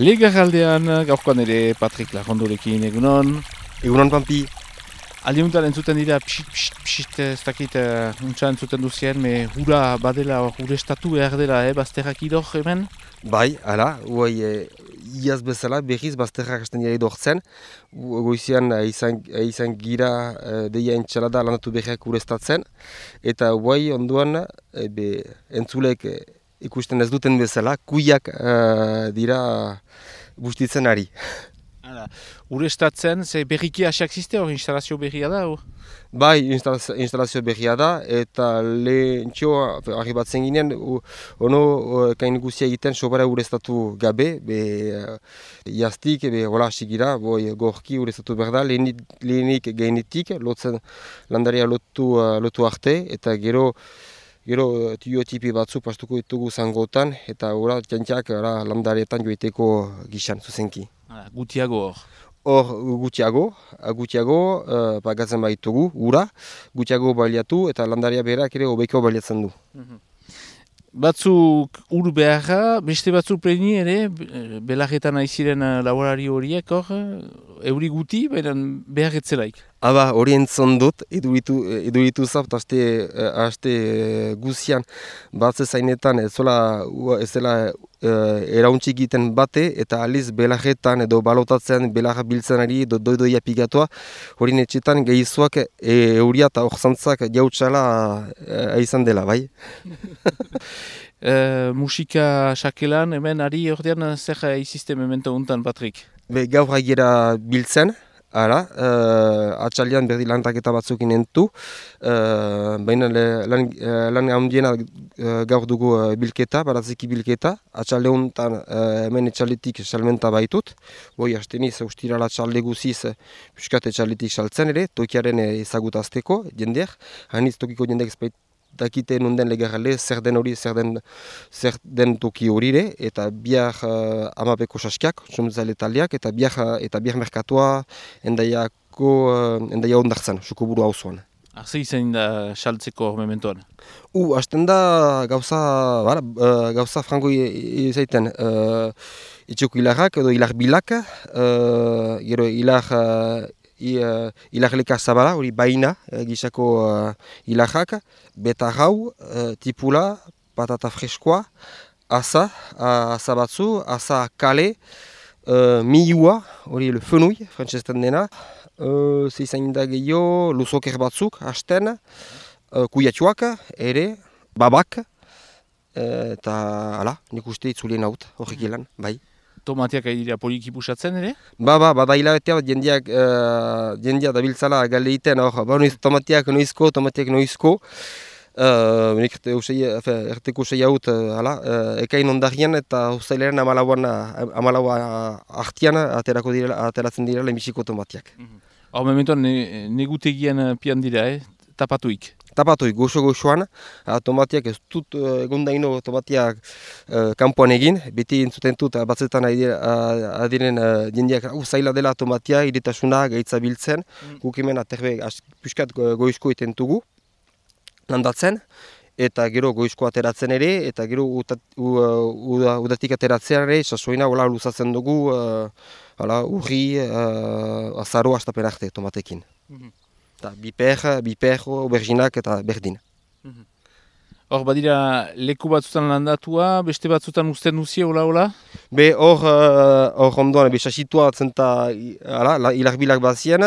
Legarraldean gaurkoan ere Patrik Lajondorekin egunon. Egunon Pampi. Aldiuntan entzuten dira psit, ez dakit untsa entzuten duzien, me hura badela, urestatu behar dela, bazterrak idor hemen? Bai, hala, iaz bezala berriz bazterrak hasten dira idortzen. Goizian izan gira deia entxalada lanatu berriak urestatzen. Eta onduan entzulek ikusten ez duten bezala, kuiak dira bustitzen ari. Urestatzen, ze berriki hasiak ziste hor, instalazio berria da? Bai, instalazio berria da, eta lehentxo arribatzen ginen, kain guzia egiten sobara urestatu gabe, jaztik, hola sigira, gorki urestatu behar da, lehenik gainetik, landaria lotu arte, eta gero tiotipi batzu pastuko ditugu zangotan, eta jantiak landaretan joiteko gixan, zuzenki. Gutiago hor? Hor gutiago pagatzen baitugu, ura, gutiago baliatu eta landaria berak ere hobeiko baliatzen du. Batzuk ur beharra, beste batzuk pleni ere, belarretan aiziren laborari horiek hor, euri guti, baina beharretzelaik. Hori entzon dut, eduritu zapt, haste guzian batze zainetan ez dela erauntxik egiten bate, eta aliz belarretan edo balotatzen belarra biltzen ari doidoia pigatua, hori netxetan gehizuak euria eta orzantzak jautsala izan dela, bai? Musika sakelan, hemen ari ordean zer izizte memento untan, Patrik? Gaur haiera biltzen, atxalian berdi lantaketa batzuk inentu, baina lan handiena gaur dugu bilketa, baratzeki bilketa, atxalde honetan hemen etxaletik salmenta baitut, hasteniz ustirala atxalde guziz piskat etxaletik saltzen ere, tokiaren ezagutazteko jendeak, haniz tokiko jendeak dakite nunden legarrale, zer den toki horire, eta biar amapeko saskiak, somzale taldeak, eta biar merkatua endaia ondartzen, sukoburu hauzuan. Arze izan da saltzeko mementoan? Hasten da gauza frango izaiten, itxeko hilarrak edo hilar bilak, gero hilarleka zabala, hori baina gisako hilarrak, beta gau, tipula, patata freskoa, asa batzu, asa kale, miua, hori fenui, frantzesten dena, zeizan da gehiago, luzoker batzuk, hasten, kuiatxuak, ere, babak, eta nik uste itzulien haut, horrek ilan, bai. Tomateak dira poliki pusatzen ere? Bada hilabetea bat jendia dabiltzala galeiten, tomateak noizko, erteko sei haut ekain ondarien eta usailaren amalaua artian ateratzen dira lehenbiziko tomateak. Hor mementoan negutegian pian dira, tapatuik? Tapatuik, goxo-goxoan, tomateak ez dut egondaino tomateak kanpoan egin, beti entzuten dut batzetan adiren jendeak zaila dela tomatea, iretasuna, gaitza biltzen, guk hemen aterbe piskat goizko iten dugu, landatzen, eta gero goizko ateratzen ere, eta gero udatik ateratzen ere, sasoina hola luzatzen dugu, urri, azaro hastapen arte tomatekin. Biper, auberginak eta berdin. Hor badira leku batzutan landatua, beste batzutan usten duzie, hola? Hor ondoan, sasitua zenta hilarbilak bazien,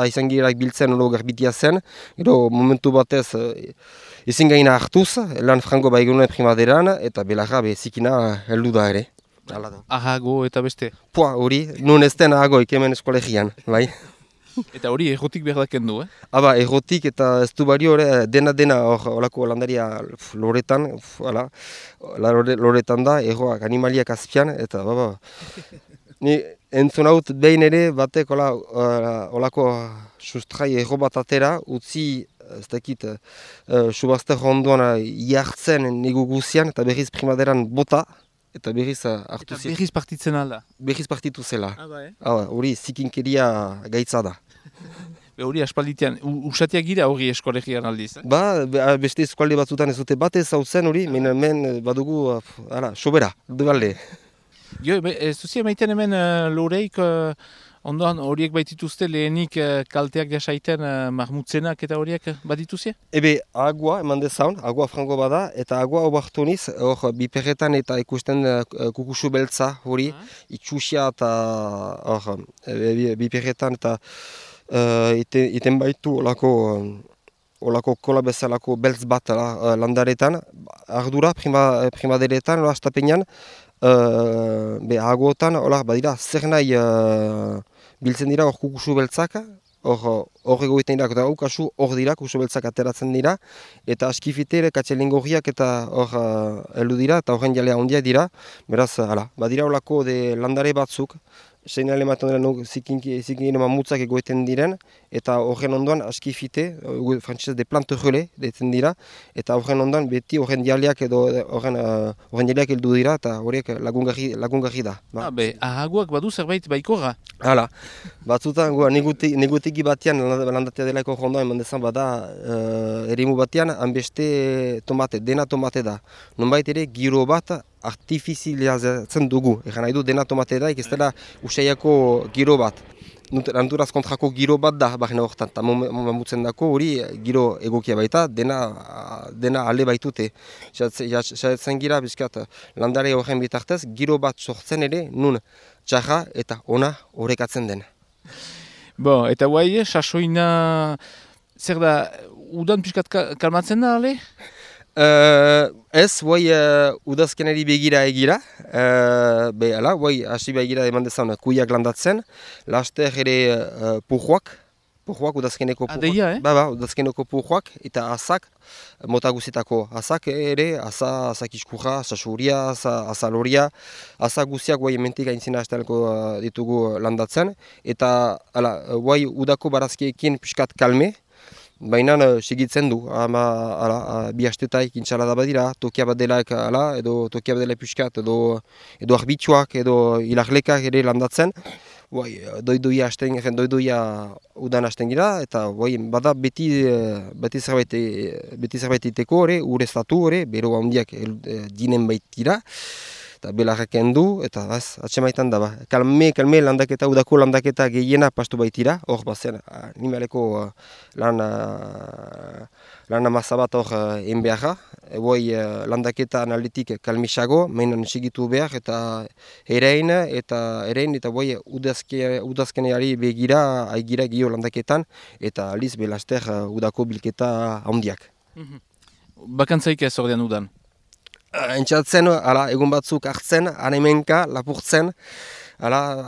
izan girak biltzen holo garbitia zen, gero momentu batez ezin gaina hartuz, lan frango baigunuen primaderan, eta belarra zikina heldu da ere. Ahago eta beste? Hori, nun ez den ahagoik hemen eskolegian, bai. Eta hori errotik behar dakendu, Errotik eta ez du bari dena horako landaria loretan, loretan da, erroak animaliak azpian, eta ni entzun haut behin ere batek horako sustrai erro bat atera, utzi ez dakit subazter ondoan jartzen nigu guzian eta berriz primaderan bota, eta berriz hartu zit. Eta berriz partitzen alda? Berriz partitu zela. Hori zikinkeria gaitza da. Hori aspalditean, usatiak gira hori eskolegian aldiz? Beste eskualde batzutan ez dute batez hau zen hori, men badugu, sobera, dugalde. Jo, ez duzi emaiten hemen loreik, ondoan horiek baitituzte lehenik kalteak jasaiten marmutzenak eta horiek badituzie? Ebe, agua eman dezaun, agua frango bada, eta agua obartuniz, hor, biperretan eta ikusten kukusu beltza hori, itxusia eta hor, biperretan eta iten baitu olako kola bezalako beltz bat landaretan, ardura primaderetan, astapenean, agotan, badira, zer nahi biltzen dira hor kukusu beltzak, hor egoiten dira, eta kasu hor dira, kukusu beltzak ateratzen dira, eta askifitere, katxelingorriak eta hor heldu dira, eta horren jalea handiak dira, beraz, badira olako landare batzuk, seinale ematen dira zikin mamutzak egoiten diren, eta horren ondoan askifite, frantzesez de plante relais deitzen dira, eta horren ondoan beti horren jaleak edo horren jaleak heldu dira, eta horiek lagungarri da. Ahaguak badu zerbait baikorra? Hala, batzutan negutegi batean landatea delaiko jondoan eman dezan bada eremu batean, hanbeste tomate, dena tomate da. Nonbait ere giro bat artifizializatzen dugu. Egan nahi du dena tomate da, ez dela usaiako giro bat. Naturaz kontrako giro bat da, barren horretan, eta mamutzen dako hori giro egokia baita, dena ale baitute. Jatzen gira, bizkat, landare horren bitartez, giro bat sortzen ere, nun txarra eta ona horrekatzen den. Eta guai, sasoina, zer da, udan pixkat kalmatzen da, ale? Ez, guai udazkenari begira egira, guai hasi begira eman dezan kuiak landatzen, laster ere pujuak udazkeneko pujuak. Adeia, Udazkeneko pujuak eta azak, mota guzitako azak ere, azak iskurra, sasuria, azaloria, azak guziak guai ementik aintzina hastelako ditugu landatzen, eta guai udako barazkiekin piskat kalme, baina segitzen du, bi hastetaik intxalada badira, tokia bat delaik edo tokia bat delaik piskat, edo arbitxuak, edo ilaglekak ere landatzen. Doidoia udan hasten gira, eta bada beti zerbait iteko, ureztatu, bero handiak dinen baitira. Eta belarrak endu, eta atxemaitan da. Kalme landaketa, udako landaketa gehiena pastu baitira, hor bazen, animaleko lan amasa bat hor enbeharra. Landaketa analitik kalmisago, mainan segitu behar, eta erein, eta udazkeneari begira, aigira gio landaketan, eta aliz belaster udako bilketa handiak. Bakantzaik ez ordean udan? Entxatzen, egun batzuk hartzen, anemenka, lapurtzen,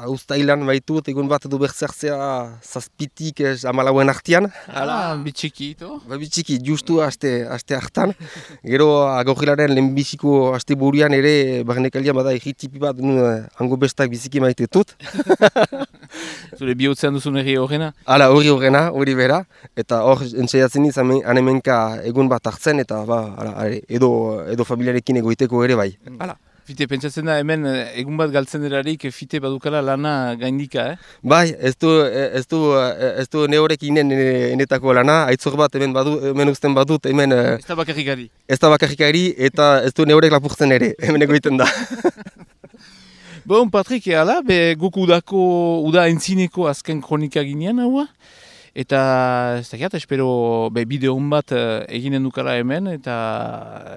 ustailan baitut, egun bat du bertzertzea zazpitik amalauen artian. Bitxiki, ito? Bitxiki, justu aste hartan. Gero agorrilaren lehenbiziko aste burian ere, barnekalian bada egitipi bat, hango bestak biziki maitetut. Zure bihotzean duzun herri horrena? Hori bera. Eta hor entxaiatzen niz anemenka egun bat hartzen, eta edo familiarekin egoiteko ere bai. Fite, pentsatzen da hemen egun bat galtzen derarik fite badukala lana gaindika, Bai, ez du nehorekin enetako lana, aitzor bat hemen usten badut, hemen... Ez da bakarrikari. Ez da bakarrikari, eta ez du nehorek lapurtzen ere, hemen egoiten da. Patrik, guk uda entzineko azken kronika ginean haua. Eta ez dakiat, espero bideo bat eginen dukala hemen, eta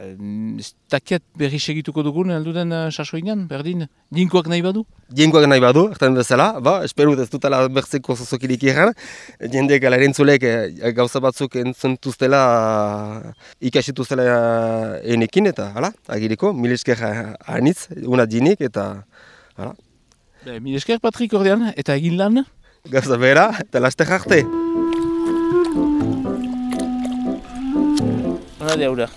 ez dakiat berri segituko dugun alduden sasoinan, berdin, dinkoak nahi badu? Dinkoak nahi badu, ertan bezala, espero ez dutala bertzeko zozokirik egan, jendek erantzulek gauza batzuk entzentuztela, ikasituztela enekin, eta agiriko, mil esker anitz, una dinik, eta... Mil esker, Patrik, ordean, eta egin lan? Gauza bera, eta laster arte. Hora de aura.